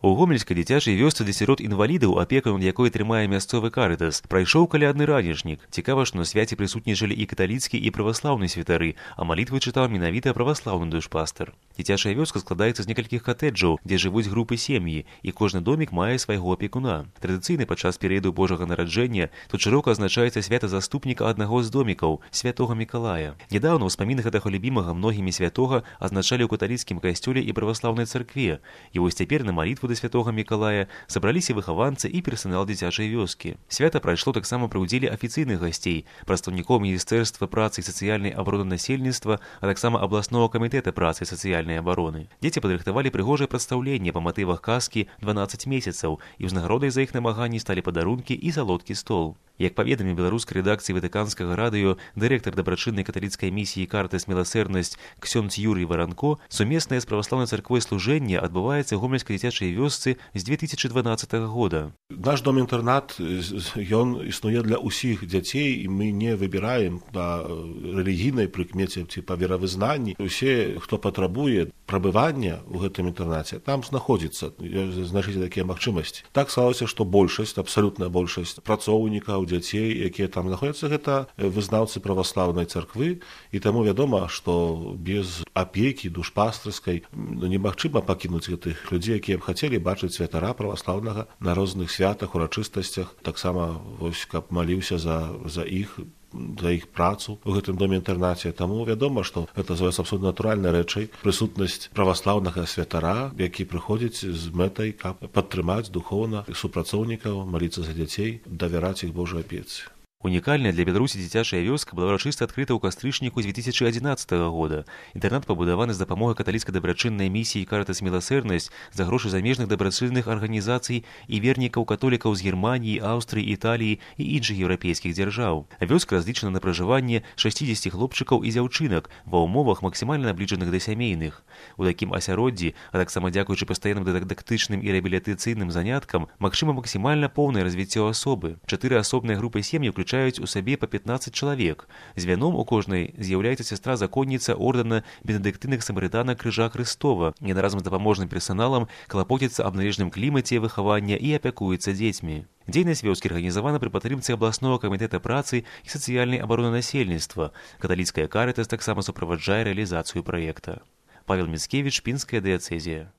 У гомельскай дзіцячай вёсцы для сірот-інвалідаў, апекам якой трымае мясцовы карытас, прайшоў калядны ранішнік. Цікава, што на свяце прысутнічалі і каталіцкі, і праваслаўны святары, а малітвы чытаў менавіта праваслаўны душпастар. Дзіцячая вёска складаецца з некалькіх катэджаў, дзе жывуць групы сем'і, і кожны домік мае свайго апекуна. Традыцыйна падчас перыяду Божага нараджэння тут шырока адзначаецца свята заступніка аднаго з домікаў, святога Мікалая. Нядаўна ўспаміны гэтага любімага многімі святога адзначалі ў каталіцкім касцёле і праваслаўнай царкве. І вось цяпер на малітву да святога Мікалая сабраліся выхаванцы і персанал дзіцячай вёскі. Свята прайшло таксама пры ўдзеле афіцыйных гасцей, прадстаўнікоў Міністэрства працы і сацыяльнай абароны насельніцтва, а таксама абласнога камітэта працы і сацыяльнай абароны. Дзеці падрыхтавалі прыгожае прадстаўленне па матывах казкі «12 месяцаў», і ўзнагародай за іх намаганні сталі падарункі і салодкі стол. Як паведаміў беларускай рэдакцыі ватыканскага радыё дырэктар дабрачыннай каталіцкай місіі «Картас Міласэрнасць» ксёндз Юрый Варанко, сумеснае з праваслаўнай царквой служэнне адбываецца ў гомельскай дзіцячай вёсцы з 2012 года. Наш дом-інтэрнат, ён існуе для ўсіх дзяцей, і мы не выбіраем на рэлігійнай прыкмеце ці па веравызнанні. Усе, хто патрабуе прабывання ў гэтым інтэрнаце, там знаходзіцца, значыць, такія магчымасці. Так сталося, што большасць, абсалютная большасць працоўнікаў, дзяцей, якія там знаходзяцца, гэта вызнаўцы праваслаўнай царквы, і таму вядома, што без апекі душпастарскай немагчыма пакінуць гэтых людзей, якія б хацелі бачыць святара праваслаўнага на розных святах, урачыстасцях, таксама вось каб маліўся за іх працу ў гэтым доме-інтэрнаце. Таму вядома, што гэта з'яўляецца абсолютна натуральнай рэчай прысутнасць праваслаўнага святара, які прыходзіць з мэтай, каб падтрымаць духоўна супрацоўнікаў, маліцца за дзяцей, давяраць іх Божай апецы. Унікальная для Беларусі дзіцячая вёска была ўрачыста адкрыта ў кастрычніку 2011 года. Інтэрнат пабудаваны з дапамогай каталіцкай дабрачыннай місіі «Картас Міласэрнасць» за грошы замежных дабрачынных арганізацый і вернікаў-католікаў з Германіі, Аўстрыі, Італіі і іншых еўрапейскіх дзяржаў. Вёска разлічана на пражыванне 60 хлопчыкаў і дзяўчынак ва ўмовах максімальна набліжаных да сямейных. У такім асяроддзі, а таксама дзякуючы пастаянным дыдактычным і рэабілітацыйным заняткам, магчыма максімальна поўнае развіццё асобы. 4 асобныя групы сем'і ўключаюць у сабе па 15 чалавек. Звяном у кожнай з'яўляецца сястра-законніца ордэна бенедыктыйных самарытанак Крыжа Хрыстова. Яна разам з дапаможным персаналам клапоціцца аб належным клімаце выхавання і апякуецца дзецьмі. Дзейнасць вёскі арганізавана пры падтрымцы абласнога камітэта працы і сацыяльнай абароны насельніцтва. Каталіцкая «Карытас» таксама суправаджае рэалізацыю праекта. Павел Міцкевіч, Пінская дыяцэзія.